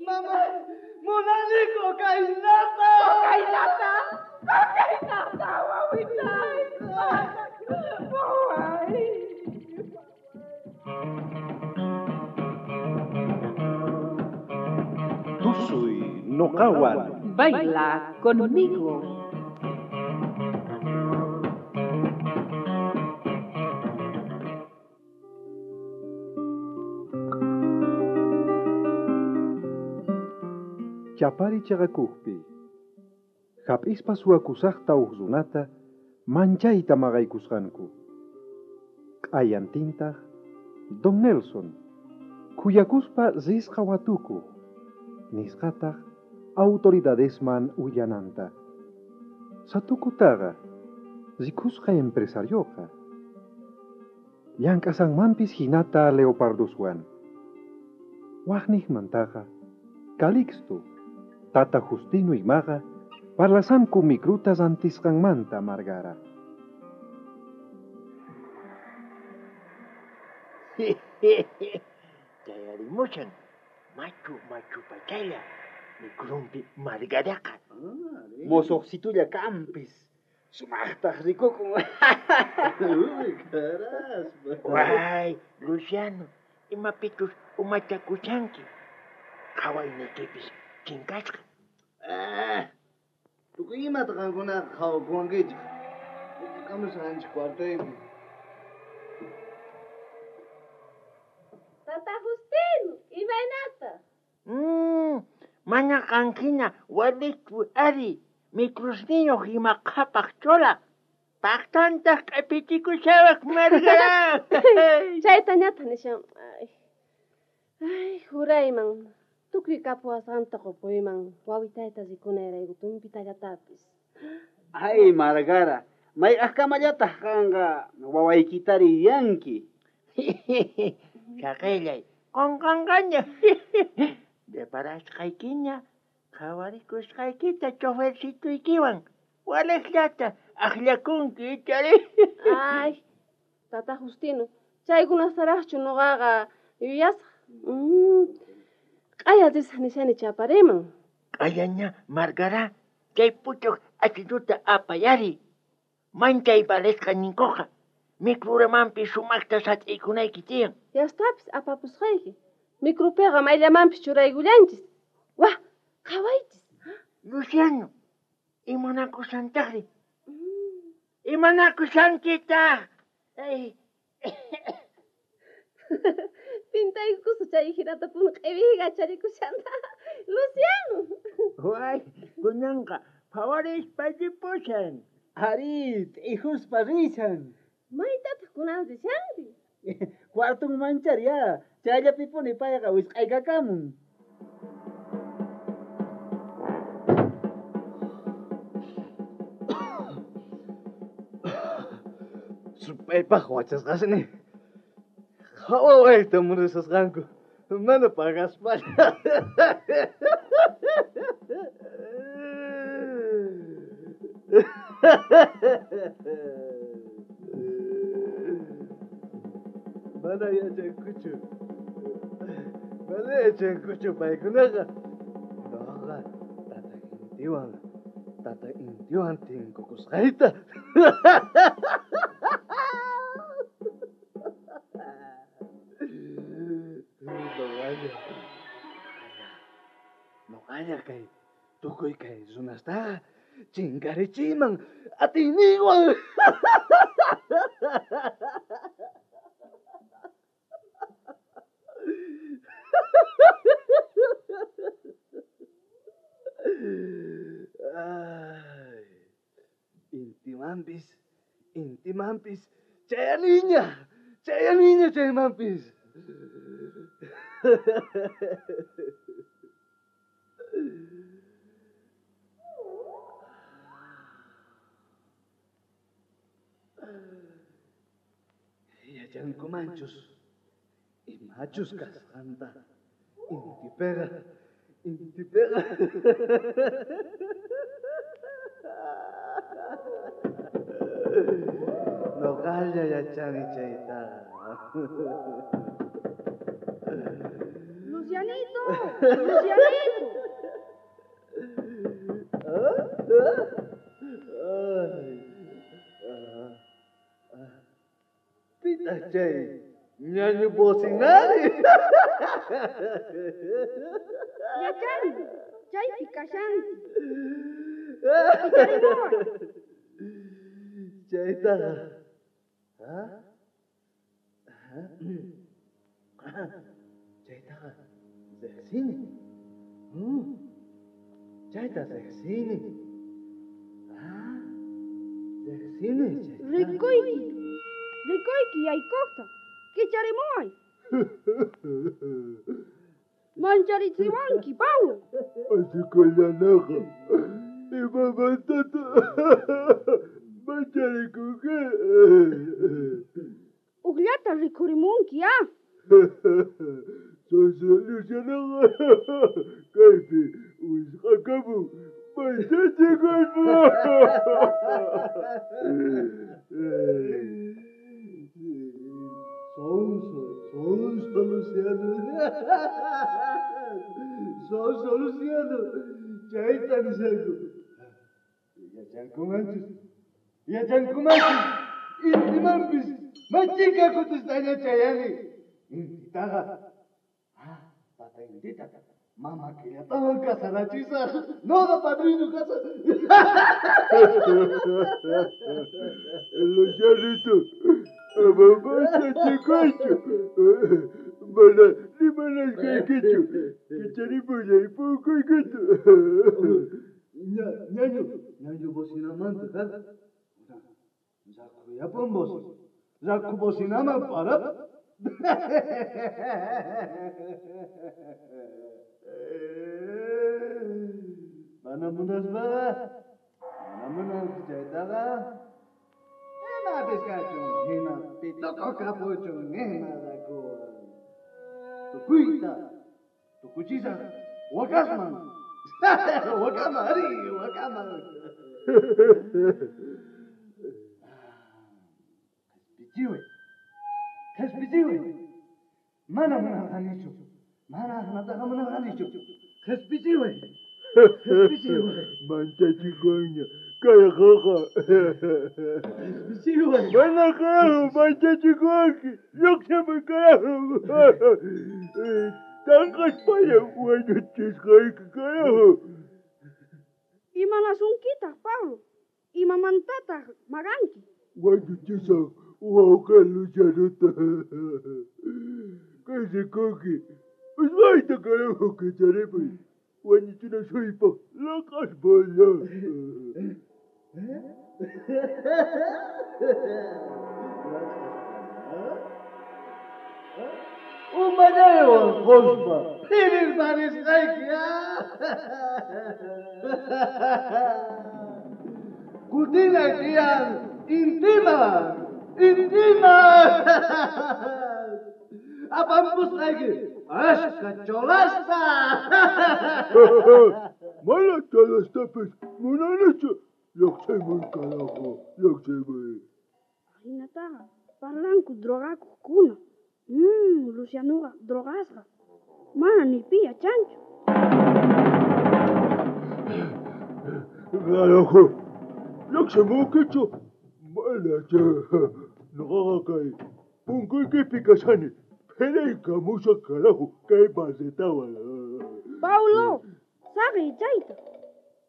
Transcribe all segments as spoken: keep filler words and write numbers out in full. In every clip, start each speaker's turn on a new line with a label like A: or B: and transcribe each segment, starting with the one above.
A: Mamá, munani cocainata.
B: Cocainata, cocainata, wawitay. Waway.
C: Tusuy noqawan.
B: Baila conmigo.
C: Chapari chaqakuqpi hap'ispa suwakusaqta huk runata manchayta maqaykusqanku. Q'ayantintaq Don Nelson khuyakuspa risqa watukuq nisqataq autoridadesman willananta. Satukutaqa rikusqa empresarioqa llank'asanmanpis hinata leoparduswan. Waqniqmantaqa Calixto Tata Justino imaqa parlasanku mikruta rantisqanmanta Margara.
D: Chayarimushan machu machu pachalla mikrumpi Margaraqa.
A: Mosoqsitulla kampis sumaqtaq rikukun. Uy, caraspa.
D: Way, Luciano, imapichus umachakushanki. Qhawayniykipis chinkasqa.
A: Ah, tukuy imata qankunaqa qhawakuwankichik. Kamusqanchik cuartoypi.
E: Tata Justino, imaynata?
D: Mm, mana qanhina walichu ari mikrusniyuq ima qhapaq chola. Paqtantaq q'ipitikushawaq Margara.
E: Chaytañataq nishan. Ay, ay, jurayman. Tukuy kapuwasqanta qupuyman wawitayta rikunayrayku tumpitallatapis.
A: Ay, Margara, mayk'aqkamallataq qanqa wawaykitari yanki.
D: Chaqillay, qunqanqaña. Reparasqaykiña qhawarikusqaykita chofercituykiwan waliqllata aqllakunki ichari.
E: Ay, Tata Justino, chaykunastaraqchu nuqaqa yuyasaq. Mm. Q'aya risaq nishani chapariman.
D: Q'ayaña Margara, chay puchuq achituta apayari. Manchay valesqa ninkuqa. Mikruramanpis sumaqta sat'iykunayki tiyan.
E: Yastapis apapusqayki. Mikrupiqa mayllamanpis churaykullanchis. Wah, qhawaychis.
D: Luciano, imanakusantaqri? Imanakusankitaq? Ay.
E: Pintaykukusa chay hinata puni q'ipiqa charikushanta. Luciano.
D: Way, kunanqa phawarispa ripushan.
A: Ari, t'ijuspa rishan.
E: Maytataq kunan rishanri?
A: Cuartun manchari ya, chayllapipuni payqa wisq'aykakamun.
F: Supaypaq wachasqasni. Qhawawayta munasqanku mana pagaspalla. Mana yachankuchu. Mana yachankuchu paykunaqa. Noqa tata Intiwan, tata Intiwan tinkukusqayta. Noqalla, noqalla kay tukuy kay runastaqa chinkarichiyman atiyniywan. Ay, Intimanpis, intimanpis, chayaniña, chayaniña chaymanpis. Yachankumanchus, imachus kasqanta, intipiqa, intipiqa. Noqalla yachani chaytaqa.
E: Lucianito, Lucianito.
F: Pitaq chay ñañu bocinari.
E: Yachani, chaypi kashanki. Kicharimuway.
F: Chaytaqa. ¿Ah? Chaytaqa riqsini. Chayta riqsini. Ah, riqsini chayta.
E: Rikuyki, rikuyki yaykuqta. Kicharimuway. Mancharichiwanki, Pablo.
G: Asikullanaqa. Imamantata mancharikunki.
E: Ujllata rikhurimunki, ah.
G: Sonso Lucianaqa kaypi wisq'akamun manchachikuspa.
F: Sonso, sonso Luciano. Sonso Luciano. Chayta nishanku. Yachankumanchus. Yachankumanchus. Intimanpis machika kutistaña chayani. Intitaqa. Ah, tata intita. Mama killatawan kasarachisaq. Noqa padrino kasaq.
G: Lucianito, ama manchachikuychu. Mana rimanasqaykichu. Kicharipullay punkuykita.
F: Ña, ñañu, ñañu bocinamanta kaq. Rakhuyapan bocina. Rakhu bocinaman parap. Mana munaspaqa, mana munanki chaytaqa. Imapis kachun, hina pituku kapuchun, ima rakuwan. Tukuyta, tukuchisaq wakasman. Wakaman, ari, wakaman. Qhispichiway, qhispichiway. Mana munarqanichu, mana asnataqa munarqanichu. Qhispichiway, qhispichiway.
G: Manchachikuña kayqaqa.
F: Qhispichiway.
G: Mana carajo manchachikuwanki. Lluqsimuy carajo. Tanqaspalla wañuchisqayki carajo.
E: Imanasunkitaq, Pablo? Imamantataq maqanki?
G: Wañuchisaq wawqi Lucianota. Kay rikunki. Usmayta carajo kicharipuy. Wañuchinasuypaq laq'aspalla.
F: Umallaywan quspa phirirparisqayki. Kutinay tiyan intiman, intiman. Apampusqayki ashka cholasta.
G: Mana cholastapis munanichu. Lluqsimuy carajo, lluqsimuy.
E: Ahinataqa parlanku drogakuqkuna. Mmm, Lucianoqa drogasqa. Mana ni pi yachanchu.
G: Carajo, lluqsimunkichu. Mana noqaqa kay punkuykipi kashani. Phiraykamusaq carajo kay barretawan.
E: Paulo, saqiy chayta.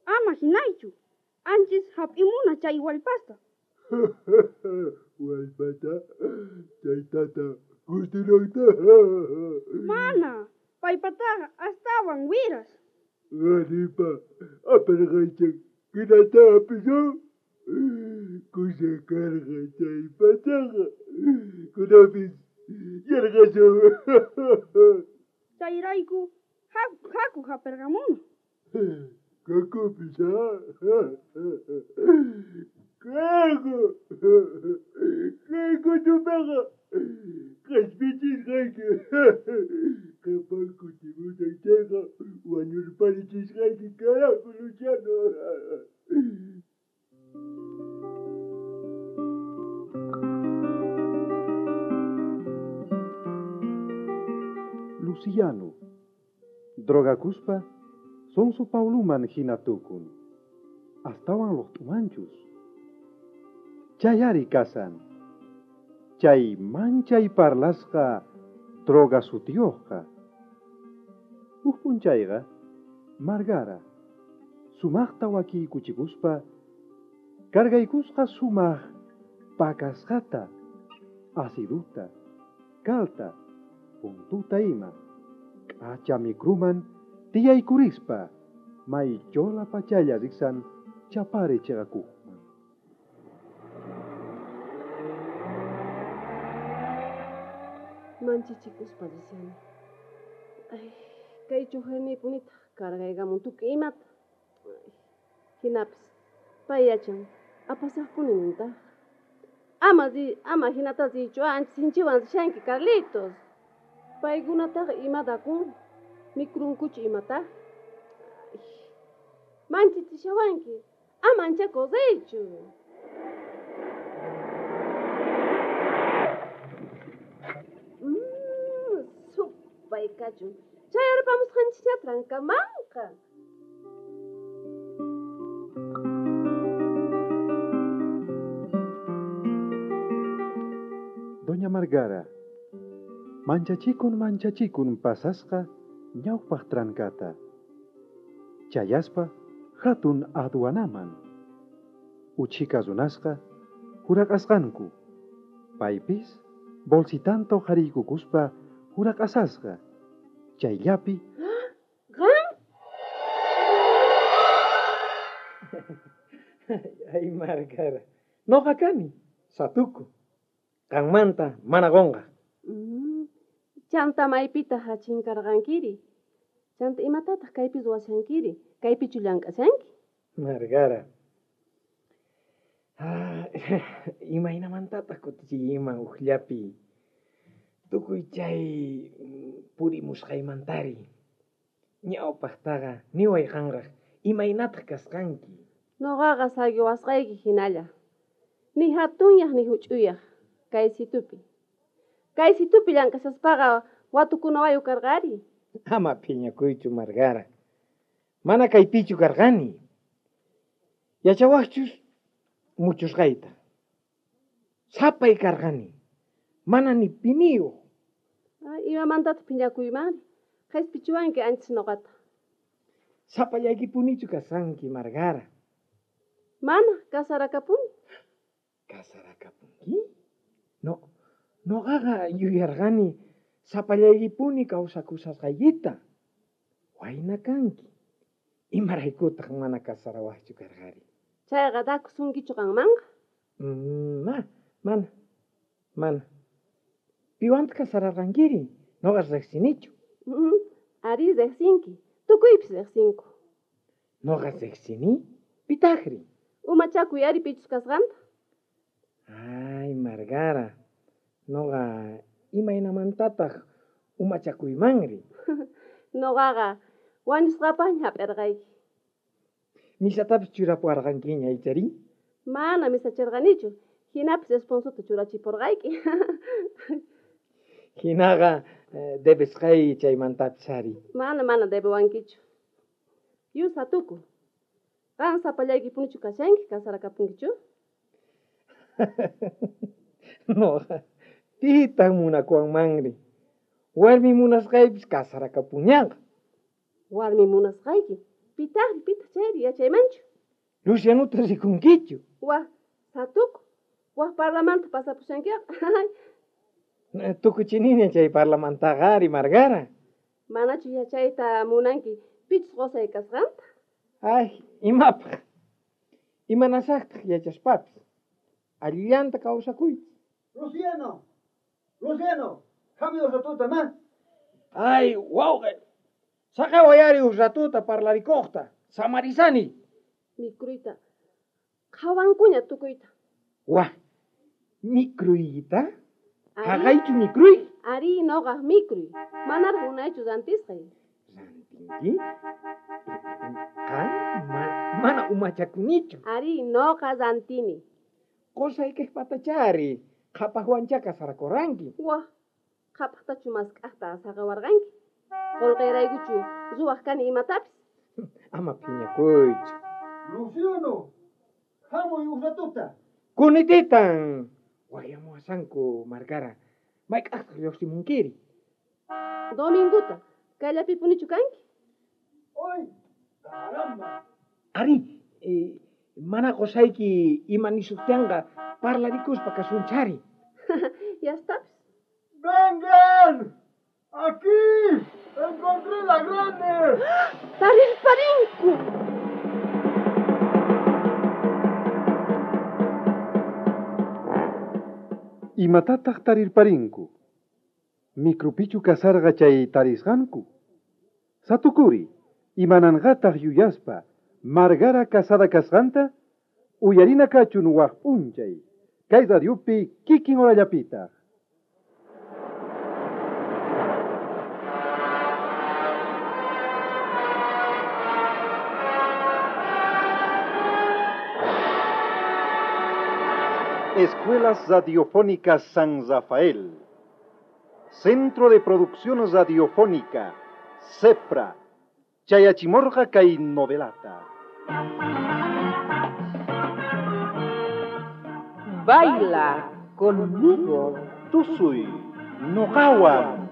E: Ama hinaychu. Anchis hap'imuna chay wallpasta.
G: Wallpata, chaytata Justinokta.
E: Mana, paypataqa astawan wiras.
G: Qharipa aparqaychan kinata hapisun. Kusa karqa chay pachaqa. Kunapis yarqasun.
E: Chayrayku haku hapirqamuna.
G: Kakupis, ah. Carajo! Kay kutupaqa qhispichisqayki. Qhipan kutimusaq chayqa wañurparichisqayki carajo, Luciano.
C: Luciano, Drogakuspa sonso Pauluman hina tukun. Astawan luqt'umanchus. Chay ari kasan. Chay manchay parlasqa droga sutiyuqqa. Huk p'unchayqa Margara sumaqta wakiykuchikuspa cargaykusqa sumaq pakasqata, asiduta, kalta, puntuta ima, k'acha mikruman tiyaykurispa may chola pachalla riqsan Chapare chaqakuqman.
H: Manchichikuspa rishani. Ay, kay chuqaynipunitaq cargaykamun tukuy imata. Ay, hinapis pay yachan apasaqpuni nintaq. Ama ri, ama hinata richu, ancha sinchiwan rishanki Carlitos. Paykunataqa imata kun, mikrunkuchu imata. Ay, manchichishawanki, ama anchakuq riychu. Mm, supay kachun. Chayarpamusqanchikña trankamanqa.
C: Doña Margara, manchachikun manchachikun pasasqa ñawpaq trankata. Chayaspa hatun aduanaman. Uchika runasqa huraqasqanku. Paypis bolsitanto hariykukuspa huraqasasqa. Chayllapi
H: Qam?
I: Ay, Margara. Noqa kani, satuku. Qanmanta mana qonqa.
H: Mm, chanta maypitaq chinkarqankiri. Chanta imatataq kaypi ruwashankiri? Kaypichu llank'ashanki?
I: Margara. Ah, imaynamantataq kutichiyman uqllapi tukuy chay purimusqaymantari. Ñawpaqtaqa niway qanraq imaynataq kasqanki?
H: Noqaqa saqiwasqayki hinalla. Ni hatunyaq ni huch'uyaq kay situpi. Kay situpi llank'ashaspaqa watukunawayu karqari.
I: Ama phiñakuychu Margara. Mana kaypichu karqani. Yachawaqchus muchusqayta. Sapay karqani. Mana ni piniyuq.
H: Ay, imamantataq phiñakuymari? Qhispichiwanki anchis noqata.
I: Sapallaykipunichu kasanki, Margara.
H: Mana, kasarakapuni.
I: Kasarakapunki? No, noqaqa yuyarqani sapallaykipuni kawsakusqaykita. Wayna kanki. Imaraykutaq mana kasarawaqchu karqari?
H: Chayqa dakusunkichu qanmanqa?
I: Mm, ma, mana, mana. Piwantaq kasararqankiri? Noqa riqsinichu.
H: Mm, ari riqsinki. Tukuypis riqsinku.
I: Noqa riqsini? Pitaqri?
H: Umachakuy ari pichus kasqanta.
I: Ay, Margara. Noqa imaynamantataq umachakuymanri?
H: Noqaqa wañusqapaqña hap'irqayki.
I: Misatapis churapuwarqankiña ichari?
H: Mana misacharqanichu. Hinapis esponsuta churachipurqayki.
I: Hinaqa eh, debesqay chaymantapis ari.
H: Mana, mana debewankichu. Yu satuku. Qan sapallaykipunichu kashanki, kasarakapunkichu?
I: Noqa pitaq munakuwanmanri? Warmi munasqaypis kasarakapuñaqa.
H: Warmi munasqayki. Pitaqri, pitaq chayri yachaymanchu?
I: Lucianuta rikunkichu?
H: Wah, satuku. Wah parlamento pasapushankiqa.
I: Tukuchiniña chay parlamantaqa ari, Margara.
H: Manachu yachayta munanki pichus qusay kasqanta?
I: Ay, imapaq. Imanasaqtaq yachaspapis. Allillanta kawsakuychis.
A: Luciano! Luciano! Hamuy ratuta, ma.
I: Ay, wawqi. Saqaway ari uq ratuta parlarikuqta. Samarisani.
H: Mikruyta. Qhawankuña tukuyta.
I: Wah, mikruyta?
H: Ari.
I: Haqaychu mikruy?
H: Ari noqaq mikruy. Manaraq unaychu rantisqay.
I: Rantinki? Qan ma, mana umachakunichu.
H: Ari noqa rantini.
I: Qusaykiq patachari. Qhapaqwancha kasarakurqanki.
H: Wah, qhapaqtachu mask'aqta saqawarqanki? Qolqayraykuchu ruwaq kani imatapis.
I: Ama phiñakuychu.
A: Luciano, hamuy uj ratuta.
I: Kunititan waqyamuwasanku, Margara. Mayk'aqtaq lluqsimunkiri?
H: Dominguta, kayllapipunichu kanki?
A: ¡Ay, caramba!
I: Ari, eh, mana qusayki ima nisuqtinqa parlarikuspa kasunchari.
H: Yastapis.
F: ¡Vengan! ¡Aquí! ¡Encontré la grande!
H: ¡Tarirparinku!
C: Imatataq tarirparinku? Micropichu kasarqa chay tarisqanku? Satukuri, imananqataq yuyaspa, Margara casada kasqanta? Uyarina kachun waq p'unchay, kay radiopi kikin horallapitaq. Escuelas Radiofónicas San Rafael. Centro de Producción Radiofónica, CEPRA. Chayachimorga kay novelata.
B: Baila conmigo.
C: Tusuy, noqawan.